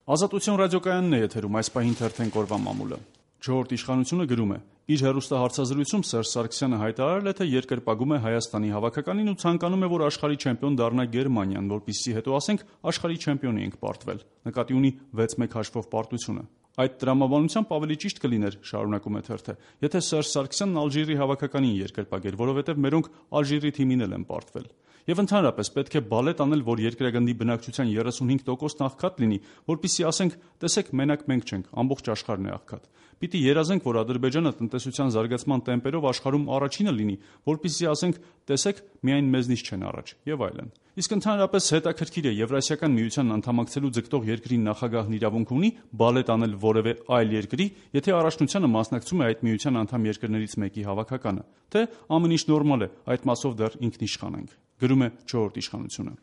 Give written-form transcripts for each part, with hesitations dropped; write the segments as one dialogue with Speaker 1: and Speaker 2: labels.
Speaker 1: Ազատություն ռադիոկայանն է եթերում, այս պահին թերթենք օրվա մամուլը։ Չորրորդ իշխանությունը գրում է. իր հեռուստահարցազրույցում Սերժ Սարգսյանը հայտարարել է, թե երկրպագում է Հայաստանի հավաքականին ու ցանկանում է, որ աշխարհի չեմպիոն դառնա Գերմանիան, որպեսզի հետո ասենք աշխարհի չեմպիոնի ենք պարտվել։ Նկատի ունի 6-1 հաշվով պարտությունը։ Այդ տրամաբանությամբ ավելի ճիշտ կլիներ, շարունակում է թերթը, եթե Սերժ Սարգսյանն Ալժիրի հավաքականին երկրպագեր, որովհետև մերոնք Ալժիրի թիմին էլ են պարտվել։ Եվ ընդհանրապես պետք է բալետ անել, որ երկրագնդի բնակչության 35%-ն աղքատ լինի, որպեսզի ասենք, տեսեք, մենակ մենք չենք, ամբողջ աշխարհն է աղքատ։ Պիտի երազենք, որ Ադրբեջանը տնտեսության զարգացման տեմպերով աշխարհում առաջինը լինի, որպեսզի ասենք, տեսեք, միայն մեզնից չեն առաջ, եւ այլն։ Իսկ ընդհանրապես հետաքրքիր է, Եվրասիական միությանն անդամակցելու ձգտող երկրի նախագահն իրավունք ունի բալետ անել որևէ այլ երկրի, եթե առաջնությանը մասնակցում է այդ միության անդամ երկրներից մեկի հավաքականը, թե ամեն ինչ նորմալ է, այդ մասով դեռ ինքնիշխան ենք։ Գրում է Չորրորդ իշխանությունը։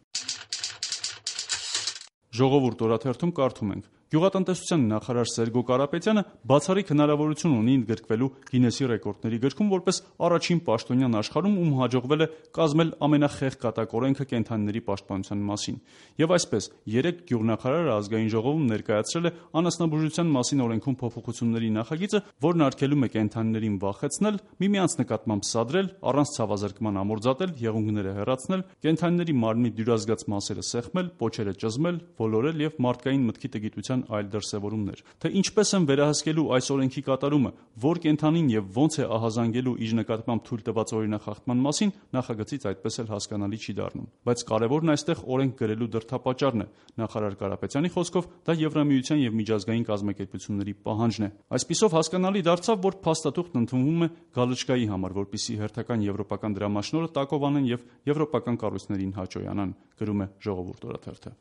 Speaker 1: Ժողովուրդ օրաթերթում կարդում ենք. Գյուղատնտեսության նախարար Սերգո Կարապետյանը բացառիկ հնարավորություն ունի ընդգրկվելու Գինեսի ռեկորդների գրքում որպես առաջին պաշտոնյան աշխարհում, ում հաջողվել է կազմել ամենախեղ կատակ կենդանիների պաշտպանության մասին։ Եվ այսպես, 3 գյուղնախարարը ազգային ժողովում ներկայացրել է անասնաբուժության մասին օրենքում փոփոխությունների նախագիծը, որն արգելում է կենդանիներին վախեցնել, միմյանց նկատմամբ սադրել, առանց ցավազրկման ամորձատել, եղունգները հեռացնել, կենդանիների մարմնի դյուրազգաց մասերը սեղմել, պոչերը ճզմել, ոլորել եւ մարդկային մտքի տգիտության այլ դրսևորումներ։ Թե ինչպես են վերահսկելու այս օրենքի կատարումը, որ կենդանին եւ ոնց է ահազանգելու իր նկատմամբ թույլ տված օրինախախտման մասին, նախագծից այդպես էլ հասկանալի չի դառնում։ Բայց կարևորն այստեղ օրենք գրելու դրդապատճառն է։ Նախարար Կարապետյանի խոսքով դա Եվրամիության եւ միջազգային կազմակերպությունների պահանջն է։ Այսպիսով հասկանալի դարձավ, որ փաստաթուղթն ընդունվում է գալչկայի համար, որպեսզի հերթական եվրոպական դրամաշնորհը տակով անեն եւ եվրոպական կառույցներին հաճոյանան, գրում է Ժողովուրդ օրաթերթը։